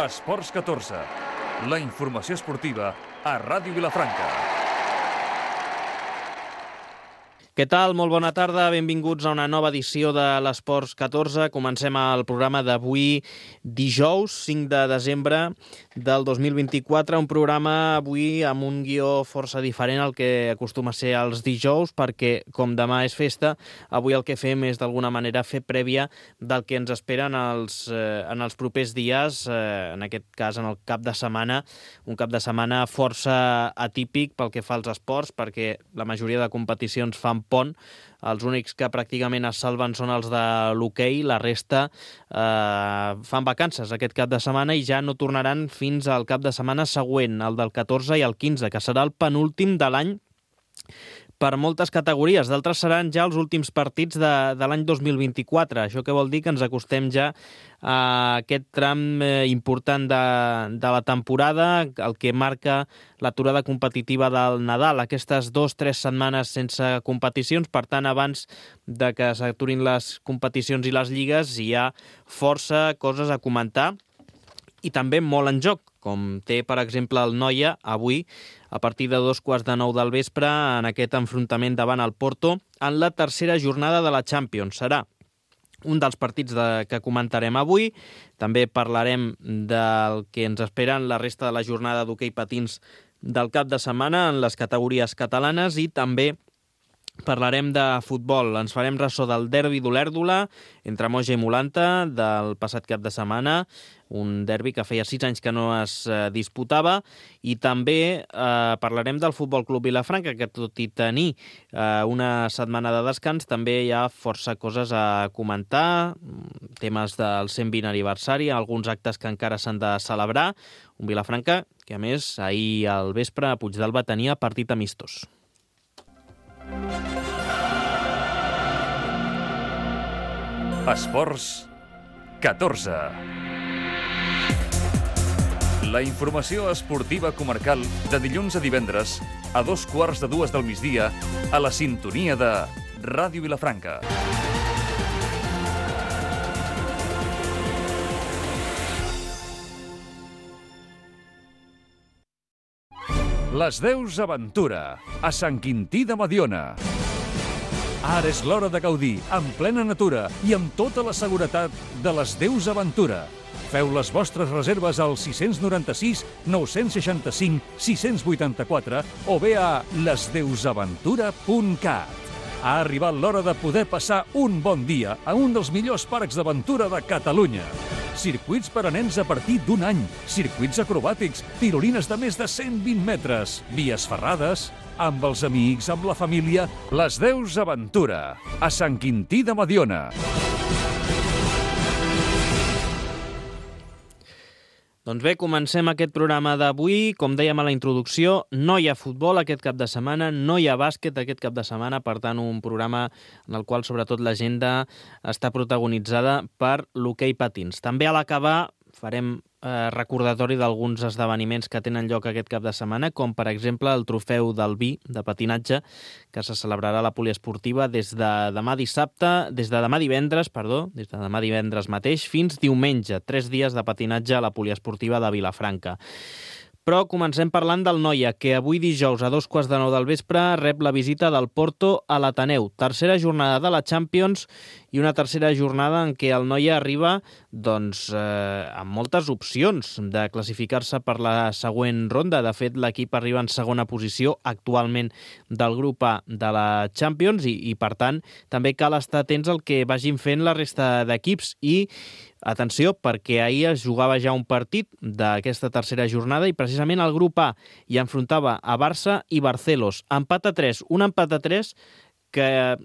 Esports 14, la informació esportiva a Ràdio Vilafranca. Què tal? Molt bona tarda, benvinguts a una nova edició de l'Esports 14. Comencem el programa d'avui dijous, 5 de desembre del 2024, un programa avui amb un guió força diferent al que acostuma a ser els dijous, perquè com demà és festa, avui el que fem és d'alguna manera fer prèvia del que ens espera en els propers dies, en aquest cas en el cap de setmana, un cap de setmana força atípic pel que fa als esports, perquè la majoria de competicions fan pont. Els únics que pràcticament es salven són els de l'hoquei, la resta fan vacances aquest cap de setmana i ja no tornaran fins al cap de setmana següent, el del 14 i el 15, que serà el penúltim de l'any per moltes categories. D'altres seran ja els últims partits de l'any 2024. Això què vol dir? Que ens acostem ja a aquest tram important de la temporada, el que marca l'aturada competitiva del Nadal. Aquestes 2-3 setmanes sense competicions, per tant, abans de que s'aturin les competicions i les lligues, hi ha força coses a comentar i també molt en joc, com té, per exemple, el Noia avui, a partir de 2:15 del vespre, en aquest enfrontament davant el Porto, en la tercera jornada de la Champions. Serà un dels partits que comentarem avui. També parlarem del que ens espera en la resta de la jornada d'hoquei patins del cap de setmana en les categories catalanes i també parlarem de futbol. Ens farem ressò del derbi d'Olèrdola entre Moja i Molanta del passat cap de setmana, un derbi que feia 6 anys que no es disputava, i també parlarem del Futbol Club Vilafranca, que tot i tenir una setmana de descans també hi ha força coses a comentar, temes del 120 aniversari, alguns actes que encara s'han de celebrar, un Vilafranca que a més ahir al vespre a Puigdàlber tenia partit amistós. Esports 14. La informació esportiva comarcal de dilluns a divendres a 2:15 del migdia a la sintonia de Ràdio Vilafranca. Les Deus Aventura, a Sant Quintí de Mediona. Ara és l'hora de gaudir, en plena natura i amb tota la seguretat de les Deus Aventura. Feu les vostres reserves al 696 965 684 o bé a lesdeusaventura.cat. Ha arribat l'hora de poder passar un bon dia a un dels millors parcs d'aventura de Catalunya. Circuits per a nens a partir d'un any, circuits acrobàtics, tirolines de més de 120 metres, vies ferrades, amb els amics, amb la família. Les Deus Aventura, a Sant Quintí de Mediona. Doncs bé, comencem aquest programa d'avui. Com dèiem a la introducció, no hi ha futbol aquest cap de setmana, no hi ha bàsquet aquest cap de setmana, per tant, un programa en el qual, sobretot, l'agenda està protagonitzada per l'hoquei patins. També a l'acabar farem recordatori d'alguns esdeveniments que tenen lloc aquest cap de setmana, com per exemple el trofeu del vi de patinatge, que se celebrarà a la poliesportiva des de demà divendres mateix fins diumenge, 3 dies de patinatge a la poliesportiva de Vilafranca. Però comencem parlant del Noia, que avui dijous a 2:15 del vespre rep la visita del Porto a l'Ateneu. Tercera jornada de la Champions i una tercera jornada en què el Noia arriba amb moltes opcions de classificar-se per la següent ronda. De fet, l'equip arriba en segona posició actualment del grup A de la Champions i per tant, també cal estar atents al que vagin fent la resta d'equips i atenció, perquè ahir es jugava ja un partit d'aquesta tercera jornada i precisament el grup A hi enfrontava a Barça i Barcelos. Empat a 3, un empat a 3 que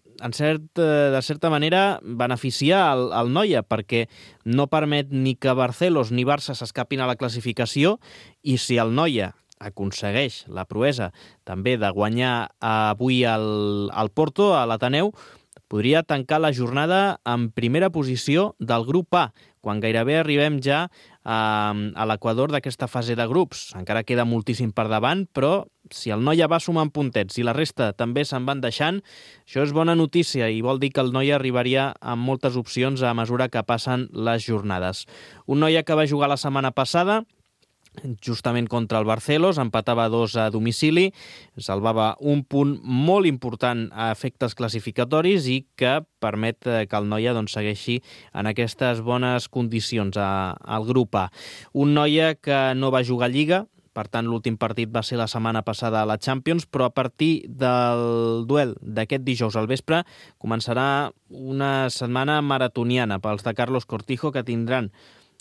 de certa manera beneficia el Noia, perquè no permet ni que Barcelos ni Barça s'escapin a la classificació, i si el Noia aconsegueix la proesa també de guanyar avui al Porto, a l'Ateneu, podria tancar la jornada en primera posició del grup A, quan gairebé arribem ja a l'equador d'aquesta fase de grups. Encara queda moltíssim per davant, però si el Noia va sumant puntets i la resta també se'n van deixant, això és bona notícia i vol dir que el Noia arribaria amb moltes opcions a mesura que passen les jornades. Un Noia que va jugar la setmana passada justament contra el Barcelos, empatava 2 a domicili, salvava un punt molt important a efectes classificatoris i que permet que el Noia segueixi en aquestes bones condicions al grup A. Un Noia que no va jugar a Lliga, per tant l'últim partit va ser la setmana passada a la Champions, però a partir del duel d'aquest dijous al vespre començarà una setmana maratoniana pels de Carlos Cortijo, que tindran,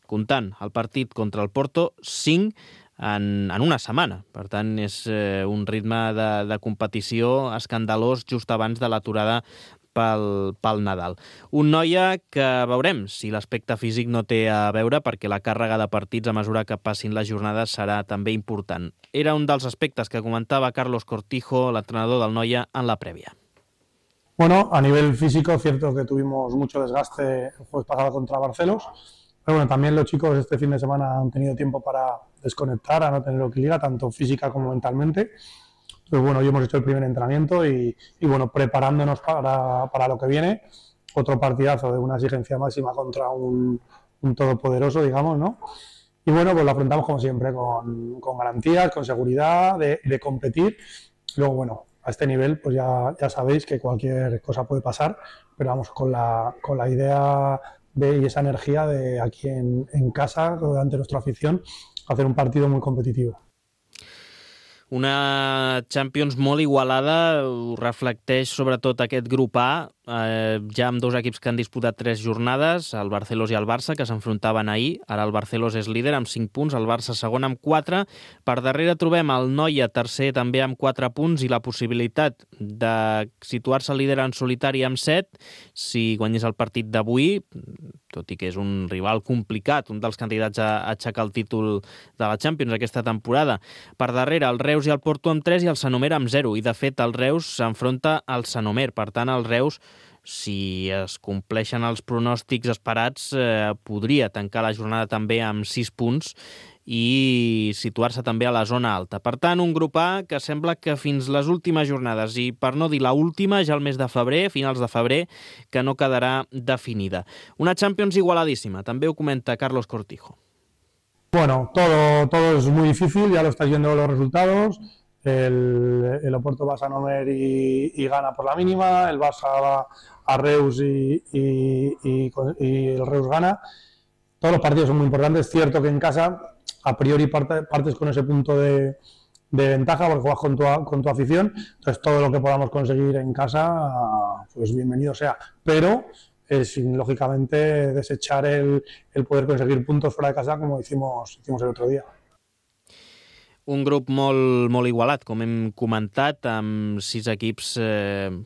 comptant el partit contra el Porto, 5 en una setmana. Per tant, és un ritme de competició escandalós just abans de l'aturada pel Nadal. Un Noia que veurem si l'aspecte físic no té a veure, perquè la càrrega de partits a mesura que passin les jornades serà també important. Era un dels aspectes que comentava Carlos Cortijo, l'entrenador del Noia, en la prèvia. Bueno, a nivel físico, cierto que tuvimos mucho desgaste el jueves pasado contra Barcelos. Pero bueno, también los chicos este fin de semana han tenido tiempo para desconectar, a no tener que ligar, tanto física como mentalmente. Entonces, bueno, hoy hemos hecho el primer entrenamiento y bueno, preparándonos para lo que viene. Otro partidazo de una exigencia máxima contra un todopoderoso, digamos, ¿no? Y bueno, pues lo afrontamos como siempre, con garantías, con seguridad, de competir. Luego, bueno, a este nivel, pues ya sabéis que cualquier cosa puede pasar, pero vamos, con la idea y esa energía de aquí en casa, delante de nuestra afición, hacer un partido muy competitivo. Una Champions molt igualada, ho reflecteix sobretot aquest grup A, ja amb 2 equips que han disputat 3 jornades, el Barcelos i el Barça, que s'enfrontaven ahir. Ara el Barcelos és líder amb 5 punts, el Barça segon amb 4. Per darrere trobem el Noia tercer també amb 4 punts i la possibilitat de situar-se líder en solitari amb 7 si guanyés el partit d'avui, tot i que és un rival complicat, un dels candidats a aixecar el títol de la Champions aquesta temporada. Per darrere el Reus i el Porto amb 3 i el Sanomer amb 0, i de fet el Reus s'enfronta al Sanomer. Per tant, el Reus, si es compleixen els pronòstics esperats, podria tancar la jornada també amb 6 punts i situar-se també a la zona alta. Per tant, un grup A que sembla que fins les últimes jornades, i per no dir la última, ja el mes de febrer, finals de febrer, que no quedarà definida. Una Champions igualadíssima, també ho comenta Carlos Cortijo. Bueno, todo es muy difícil, ya lo estáis viendo los resultados. El Oporto va a Sanomer y gana por la mínima, el Barça va a Reus y el Reus gana. Todos los partidos son muy importantes. Es cierto que en casa a priori partes con ese punto de ventaja porque juegas con tu afición, entonces todo lo que podamos conseguir en casa, pues bienvenido sea, pero sin lógicamente desechar el poder conseguir puntos fuera de casa como hicimos el otro día. Un grup molt igualat, com hem comentat, amb 6 equips,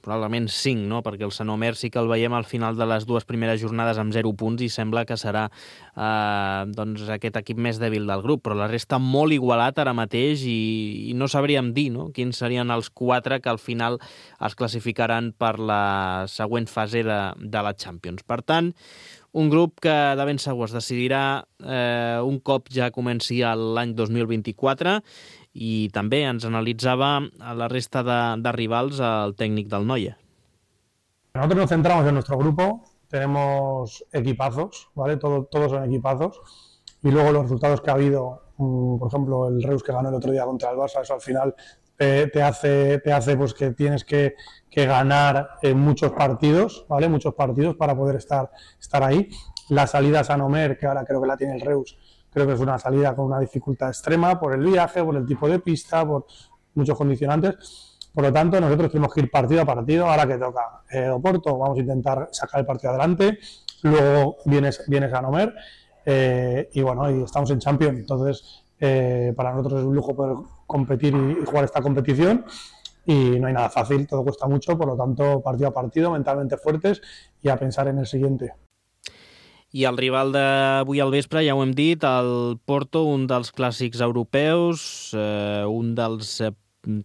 probablement 5, no? Perquè el Sanomer sí que el veiem al final de les 2 primeres jornades amb 0 punts i sembla que serà aquest equip més dèbil del grup, però la resta molt igualat ara mateix i no sabríem dir, no?, quins serien els 4 que al final es classificaran per la següent fase de la Champions. Per tant, un grup que de ben segur es decidirà un cop ja comenci l'any 2024 i també ens analitzava a la resta de rivals el tècnic del Noia. Nosotros nos centramos en nuestro grupo, tenemos equipazos, ¿vale? Todos son equipazos y luego los resultados que ha habido, por ejemplo el Reus que ganó el otro día contra el Barça, eso al final te hace pues que tienes que ganar muchos partidos, ¿vale? Muchos partidos para poder estar ahí. La salida a Sanomer, que ahora creo que la tiene el Reus, creo que es una salida con una dificultad extrema por el viaje, por el tipo de pista, por muchos condicionantes. Por lo tanto, nosotros tenemos que ir partido a partido. Ahora que toca Oporto, vamos a intentar sacar el partido adelante. Luego viene Sanomer y bueno, y estamos en Champions. Entonces, para nosotros es un lujo poder competir y jugar esta competición y no hay nada fácil, todo cuesta mucho, por lo tanto partido a partido, mentalmente fuertes y a pensar en el siguiente. I el rival d'avui al vespre, ja ho hem dit, el Porto, un dels clàssics europeus, un dels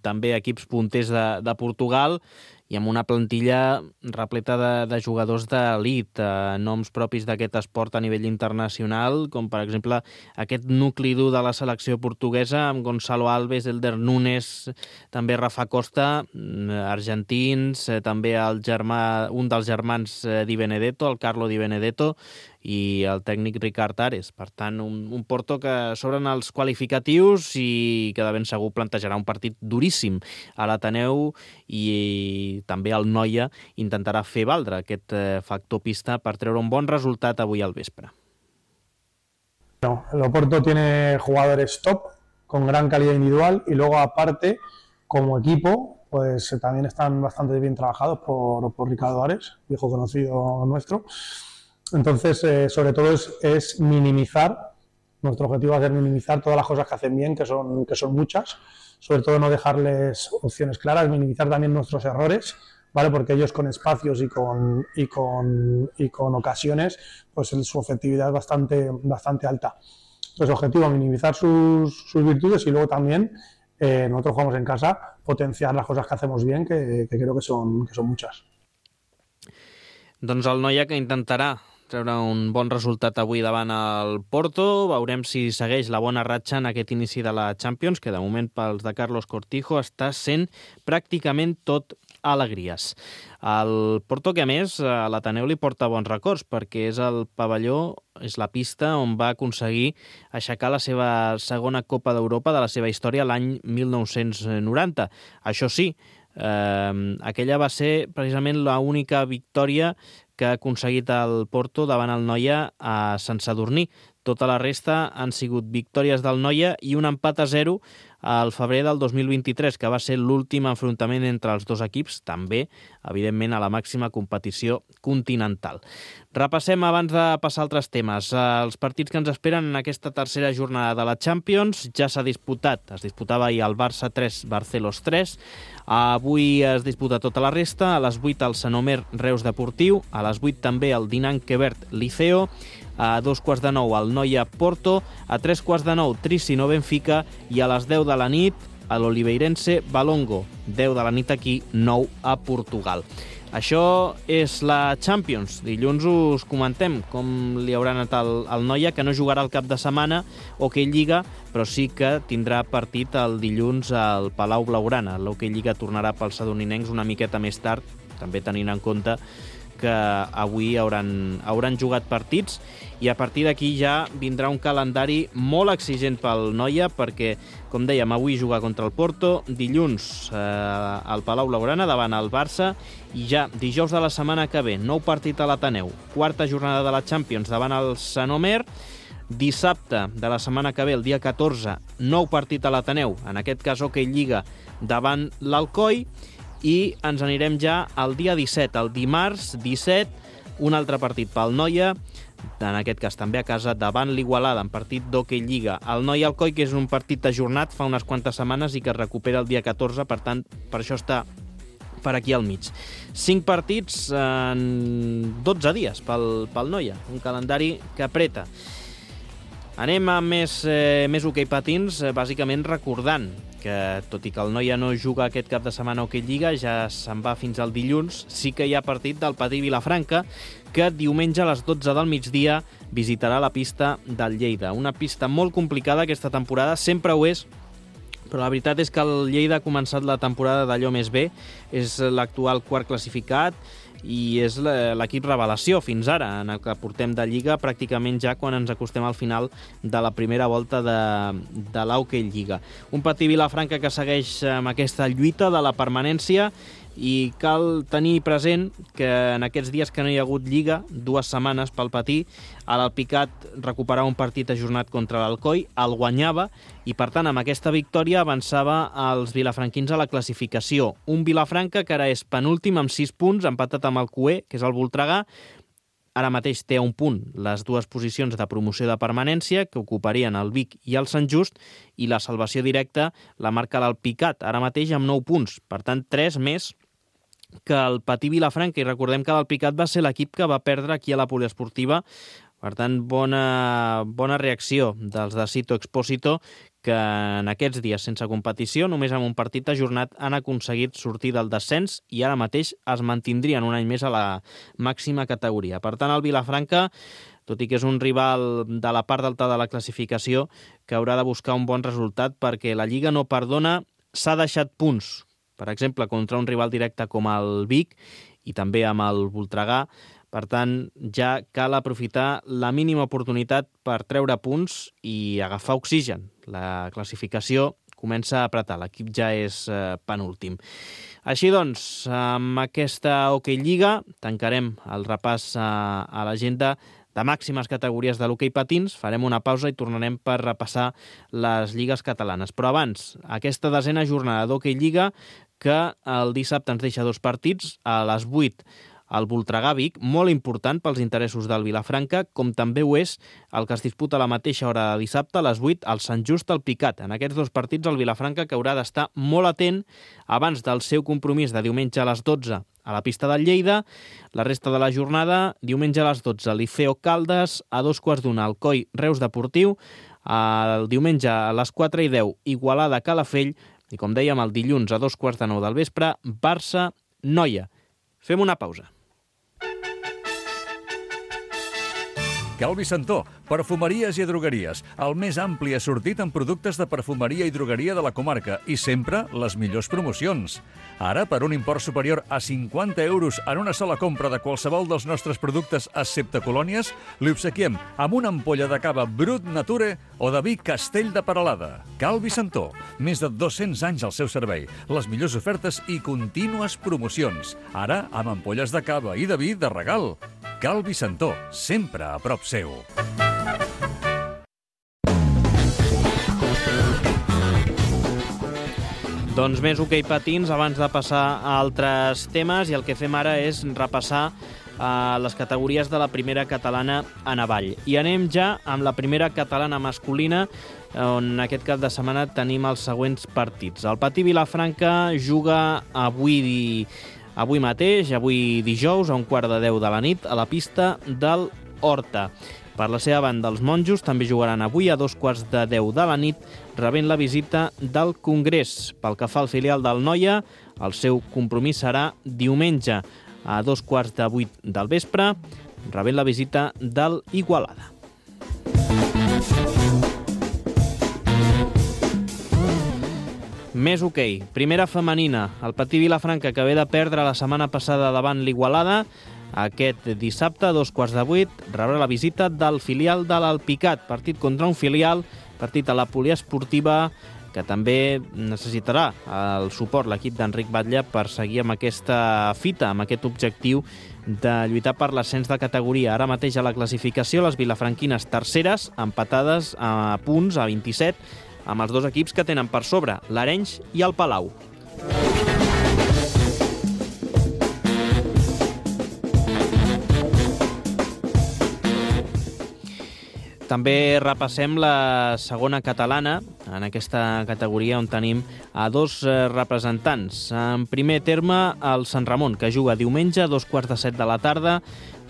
també equips punters de Portugal i amb una plantilla repleta de jugadors d'elit, noms propis d'aquest esport a nivell internacional, com per exemple aquest nucli dur de la selecció portuguesa amb Gonzalo Alves, Elder Nunes, també Rafa Costa, argentins, també un dels germans Di Benedetto, el Carlo Di Benedetto, i el tècnic Ricard Ares. Per tant, un Porto que s'obren els qualificatius i que de ben segur plantejarà un partit duríssim a l'Ateneu, i també el Noia intentarà fer valdre aquest factor pista per treure un bon resultat avui al vespre. El Oporto tiene jugadores top, con gran calidad individual, y luego aparte, como equipo, pues también están bastante bien trabajados por Ricardo Ares, viejo conocido nuestro. Entonces, sobre todo es minimizar, nuestro objetivo va a ser minimizar todas las cosas que hacen bien, que son muchas, sobre todo no dejarles opciones claras, minimizar también nuestros errores, ¿vale? Porque ellos con espacios y con ocasiones, pues su efectividad es bastante alta. Entonces, objetivo, minimizar sus virtudes, y luego también, nosotros jugamos en casa, potenciar las cosas que hacemos bien, que creo que son muchas. Doncs el Noia, que intentarà treure un bon resultat avui davant el Porto. Veurem si segueix la bona ratxa en aquest inici de la Champions, que de moment pels de Carlos Cortijo està sent pràcticament tot alegries. El Porto, que a més a l'Ateneu li porta bons records, perquè és el pavelló, és la pista on va aconseguir aixecar la seva segona Copa d'Europa de la seva història l'any 1990. Això sí, aquella va ser precisament l'única victòria que ha aconseguit el Porto davant el Noia a Sant Sadurní. Tota la resta han sigut victòries del Noia i un empat a 0 al febrer del 2023, que va ser l'últim enfrontament entre els dos equips, també, evidentment, a la màxima competició continental. Repassem, abans de passar a altres temes, els partits que ens esperen en aquesta tercera jornada de la Champions. Ja s'ha disputat, es disputava ahir el Barça 3, Barcelos 3, avui es disputa tota la resta, a les 8 el Sanomer Reus Deportiu, a les 8 també el Dinant Quebert Liceo, a 2:15 el Noia Porto, a 3:15 Tricino Benfica, i a les 10 de la nit a l'Oliveirense Valongo. 10 de la nit aquí, 9 a Portugal. Això és la Champions. Dilluns us comentem com li haurà anat al Noia, que no jugarà el cap de setmana Hockey Lliga, però sí que tindrà partit el dilluns al Palau Blaugrana. L'Hockey Lliga tornarà pels sadoninencs una miqueta més tard, també tenint en compte que avui hauran jugat partits, i a partir d'aquí ja vindrà un calendari molt exigent pel Noia, perquè, com dèiem, avui jugar contra el Porto, dilluns al Palau Blaugrana davant el Barça, i ja dijous de la setmana que ve, nou partit a l'Ateneu, quarta jornada de la Champions davant el Sanomer, dissabte de la setmana que ve, el dia 14, nou partit a l'Ateneu, en aquest cas Hockey Lliga davant l'Alcoi, i ens anirem ja al dia 17, el dimarts 17, un altre partit pel Noia, en aquest cas també a casa, davant l'Igualada, en partit d'Hockey Lliga. El Noia Alcoi, que és un partit ajornat fa unes quantes setmanes i que es recupera el dia 14, per tant, per això està per aquí al mig. 5 partits en 12 dies pel Noia, un calendari que apreta. Anem a més hoquei patins, bàsicament recordant que, tot i que el Noia no juga aquest cap de setmana a Hockey Lliga, ja se'n va fins al dilluns, sí que hi ha partit del Patí Vilafranca, que diumenge a les 12 del migdia visitarà la pista del Lleida. Una pista molt complicada aquesta temporada, sempre ho és, però la veritat és que el Lleida ha començat la temporada d'allò més bé, és l'actual quart classificat, i és l'equip revelació fins ara, en el que portem de Lliga, pràcticament ja quan ens acostem al final de la primera volta de l'Hockey Lliga. Un Patí Vilafranca que segueix amb aquesta lluita de la permanència, i cal tenir present que en aquests dies que no hi ha hagut Lliga, 2 setmanes pel Patí, l'Alpicat recuperava un partit ajornat contra l'Alcoi, el guanyava, i per tant amb aquesta victòria avançava els vilafranquins a la classificació. Un Vilafranca que ara és penúltim amb 6 punts, empatat amb el Cué, que és el Voltregà. Ara mateix té a un punt les dues posicions de promoció de permanència, que ocuparien el Vic i el Sant Just, i la salvació directa la marca l'Alpicat, ara mateix amb 9 punts. Per tant, 3 més que el Patí Vilafranca, i recordem que l'Alpicat va ser l'equip que va perdre aquí a la poliesportiva Per tant, bona reacció dels de Sito Expósito, que en aquests dies sense competició, només amb un partit ajornat, han aconseguit sortir del descens i ara mateix es mantindrien un any més a la màxima categoria. Per tant, el Vilafranca, tot i que és un rival de la part alta de la classificació, que haurà de buscar un bon resultat perquè la Lliga no perdona, s'ha deixat punts, per exemple, contra un rival directe com el Vic i també amb el Voltregà. Per tant, ja cal aprofitar la mínima oportunitat per treure punts i agafar oxigen. La classificació comença a apretar, l'equip ja és penúltim. Així doncs, amb aquesta Hockey Lliga tancarem el repàs a l'agenda de màximes categories de l'hoquei patins. Farem una pausa i tornarem per repassar les lligues catalanes. Però abans, aquesta 10a jornada d'Hockey Lliga, que el dissabte ens deixa 2 partits, a les 8 el Voltregà-Vic, molt important pels interessos del Vilafranca, com també ho és el que es disputa a la mateixa hora de dissabte, a les 8, el Sant Just-Alpicat. En aquests 2 partits el Vilafranca que haurà d'estar molt atent abans del seu compromís de diumenge a les 12 a la pista del Lleida. La resta de la jornada, diumenge a les 12, Liceo Caldes, a 2:15 Alcoi Reus Deportiu, el diumenge a les 4:10 Igualada Calafell i, com dèiem, el dilluns a 2:15 del vespre, Barça Noia. Fem una pausa. Calvi Santó, perfumeries i drogueries, el més ampli assortit en productes de perfumeria i drogueria de la comarca i sempre les millors promocions. Ara, per un import superior a 50 euros en una sola compra de qualsevol dels nostres productes excepte colònies, li obsequiem amb una ampolla de cava Brut Nature o de vi Castell de Peralada. Calvi Santó, més de 200 anys al seu servei, les millors ofertes i contínues promocions. Ara, amb ampolles de cava i de vi de regal. Calvi Santó, sempre a prop seu. Doncs més hoquei patins abans de passar a altres temes, i el que fem ara és repassar les categories de la primera catalana a Navall. I anem ja amb la primera catalana masculina, on aquest cap de setmana tenim els següents partits. El Patí Vilafranca juga avui mateix, avui dijous, a 9:45 de la nit, a la pista del Horta. Per la seva banda, els monjos també jugaran avui a 2:15 de la nit, rebent la visita del Congrés. Pel que fa al filial del Noia, el seu compromís serà diumenge a 7:15 del vespre, rebent la visita del Igualada. Més hoquei. Primera femenina. El Patí Vilafranca, que ve de perdre la setmana passada davant l'Igualada, aquest dissabte a 7:15 rebrà la visita del filial de l'Alpicat. Partit contra un filial, partit a la poliesportiva, que també necessitarà el suport l'equip d'Enric Batlle per seguir amb aquesta fita, amb aquest objectiu de lluitar per l'ascens de categoria. Ara mateix a la classificació, les vilafranquines terceres, empatades a punts, a 27, amb els 2 equips que tenen per sobre, l'Arenys i el Palau. També repassem la segona catalana, en aquesta categoria on tenim a 2 representants. En primer terme, el Sant Ramon, que juga diumenge a 2:15 de la tarda,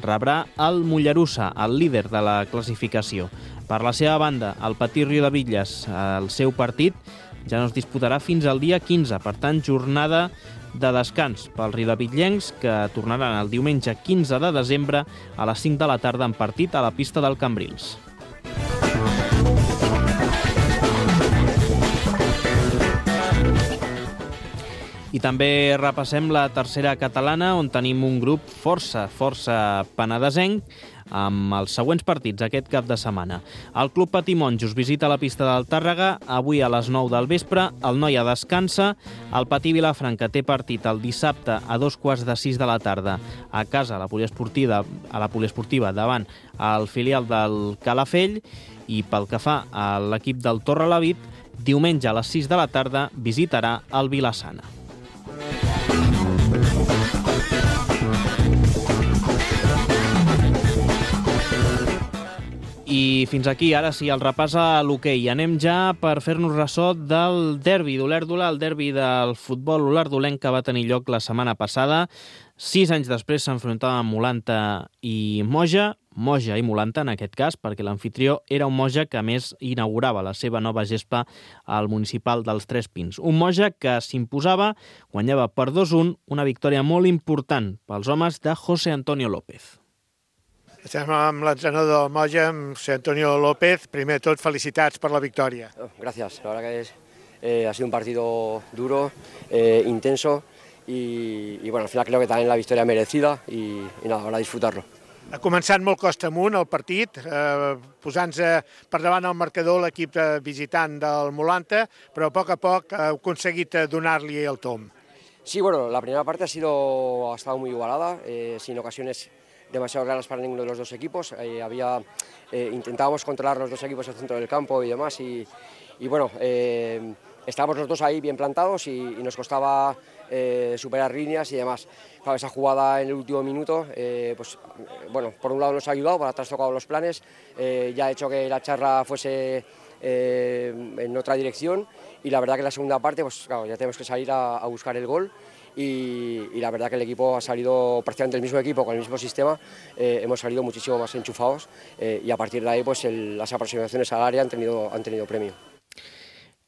rebrà el Mollerussa, el líder de la classificació. Per la seva banda, el Patí Riudebitlles, el seu partit, ja no es disputarà fins al dia 15, per tant, jornada de descans pels riudebitllencs, que tornaran el diumenge 15 de desembre a les 5 de la tarda en partit a la pista del Cambrils. I també repassem la tercera catalana, on tenim un grup força penedesenc, amb els següents partits aquest cap de setmana. El Club Patí Monjos visita la pista del Tàrrega avui a les 9 del vespre, el Noia descansa, el Patí Vilafranca té partit el dissabte a 5:15 de la tarda a casa a la poliesportiva davant el filial del Calafell, i pel que fa a l'equip del Torrelavit, diumenge a les 6 de la tarda visitarà el Vilassana. I fins aquí, ara sí, el repàs a l'hoquei. Anem ja per fer-nos ressò del derbi d'Olèrdola, el derbi del futbol olerdolenc que va tenir lloc la setmana passada. 6 anys després s'enfrontava amb Molanta i Moja. Moja i Molanta, en aquest cas, perquè l'anfitrió era un Moja que, a més, inaugurava la seva nova gespa al municipal dels Tres Pins. Un Moja que s'imposava, guanyava per 2-1, una victòria molt important pels homes de José Antonio López. Estem amb l'entrenador del Moja, amb José Antonio López. Primer de tot, felicitats per la victòria. Gracias, la verdad que ha sido un partido duro, intenso y bueno, al final creo que también la victoria merecida y nada, ahora disfrutarlo. Ha començat molt costa amunt el partit, posant-se per davant el marcador l'equip visitant del Molanta, però a poc ha aconseguit donar-li el tomb. Sí, bueno, la primera parte ha estado muy igualada, sin ocasiones demasiado claras para ninguno de los dos equipos. Intentábamos controlar los dos equipos al centro del campo y demás y bueno, estábamos los dos ahí bien plantados y nos costaba superar líneas y demás. Claro, esa jugada en el último minuto, pues bueno, por un lado nos ha ayudado, para trastocado los planes, ya ha hecho que la charla fuese en otra dirección y la verdad que en la segunda parte, pues claro, ya tenemos que salir a buscar el gol. Y la verdad que el equipo ha salido prácticamente el mismo equipo, con el mismo sistema, hemos salido muchísimo más enchufados y a partir de ahí pues las aproximaciones al área han tenido premio.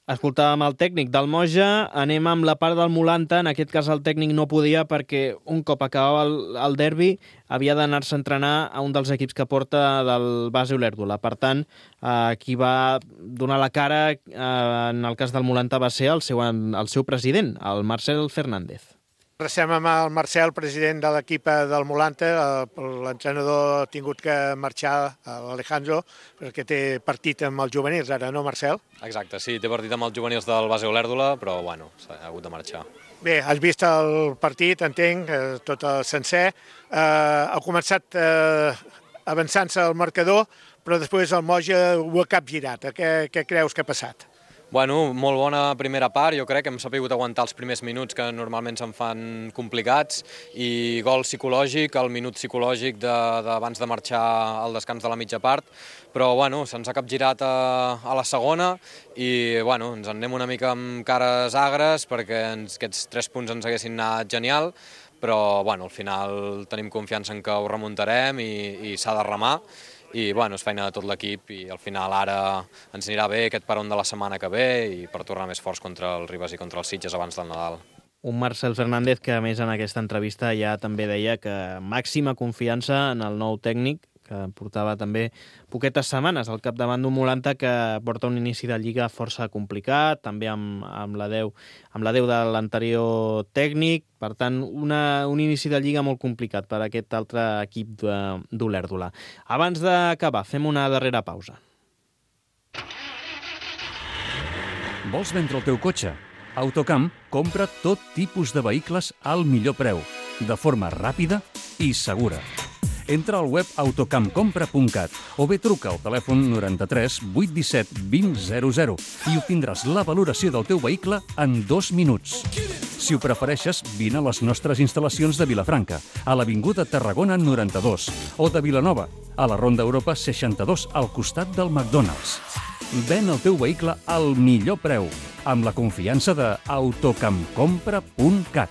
Escoltàvem el tècnic del Moja, anem amb la part del Molanta, en aquest cas el tècnic no podia perquè un cop acabava el derbi havia d'anar-se a entrenar a un dels equips que porta del base Olèrdola. Per tant, qui va donar la cara en el cas del Molanta va ser el seu president, el Marcel Fernández. Recem amb el Marcel, president de l'equip del Molanta. L'entrenador ha tingut que marxar, l'Alejandro, perquè té partit amb els juvenils ara, no, Marcel? Exacte, sí, té partit amb els juvenils del base Olèrdola, però bueno, s'ha hagut de marxar. Bé, has vist el partit, entenc, tot el sencer. Ha començat avançant-se el marcador, però després el Moja ho ha capgirat. Què creus que ha passat? Bueno, molt bona primera part, jo crec que hem sabut aguantar els primers minuts que normalment se'n fan complicats i gol psicològic, el minut psicològic d'abans de marxar al descans de la mitja part, però bueno, se'ns ha capgirat a la segona i bueno, ens en anem una mica amb cares agres perquè aquests 3 punts ens haguessin anat genial, però bueno, al final tenim confiança en que ho remuntarem i s'ha de remar. I bueno, és feina de tot l'equip i al final ara ens anirà bé aquest peron de la setmana que ve i per tornar més forts contra el Ribes i contra els Sitges abans del Nadal. Un Marcel Fernández que a més en aquesta entrevista ja també deia que màxima confiança en el nou tècnic, que portava també poquetes setmanes al capdavant d'un Molanta que porta un inici de Lliga força complicat, també amb la 10 de l'anterior tècnic, per tant, un inici de Lliga molt complicat per aquest altre equip d'Olèrdola. Abans d'acabar, fem una darrera pausa. Vols vendre el teu cotxe? Autocamp compra tot tipus de vehicles al millor preu, de forma ràpida i segura. Entra al web autocampcompra.cat o bé truca al telèfon 93 817 2000 i obtindràs la valoració del teu vehicle en 2 minuts. Si ho prefereixes, vine a les nostres instal·lacions de Vilafranca, a l'Avinguda Tarragona 92, o de Vilanova, a la Ronda Europa 62, al costat del McDonald's. Ven el teu vehicle al millor preu, amb la confiança de autocampcompra.cat.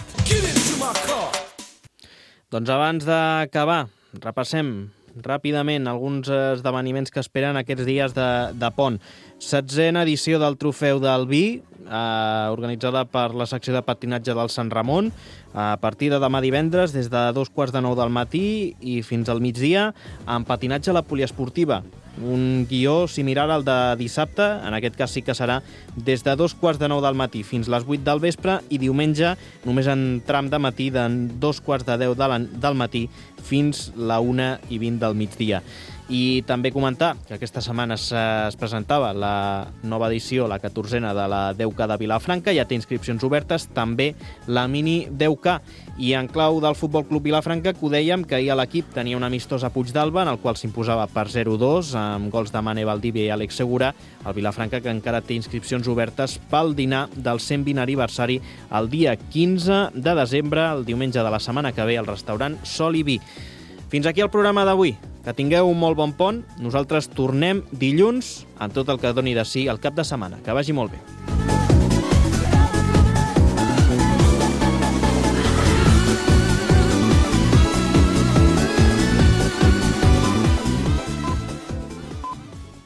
Doncs abans d'acabar, repassem ràpidament alguns esdeveniments que esperen aquests dies de pont. 16a edició del Trofeu del Vi, organitzada per la secció de patinatge del Sant Ramon, a partir de demà divendres, des de 2:45 del matí i fins al migdia, amb patinatge a la poliesportiva. Un guió similar al de dissabte, en aquest cas sí que serà des de 2:45 del matí fins les 8 del vespre i diumenge només en tram de matí de 2:45 del matí fins la 1:20 del migdia. I també comentar que aquesta setmana es presentava la nova edició, la 14a de la 10K de Vilafranca, ja té inscripcions obertes, també la mini 10K. I en clau del Futbol Club Vilafranca, que ho dèiem, que ahir l'equip tenia un amistós a Puigdàlber, en el qual s'imposava per 0-2, amb gols de Mane Valdivia i Àlex Segura. El Vilafranca, que encara té inscripcions obertes pel dinar del 120 aniversari el dia 15 de desembre, el diumenge de la setmana que ve, al restaurant Sol i Vi. Fins aquí el programa d'avui. Que tingueu un molt bon pont. Nosaltres tornem dilluns amb tot el que doni de si el cap de setmana. Que vagi molt bé.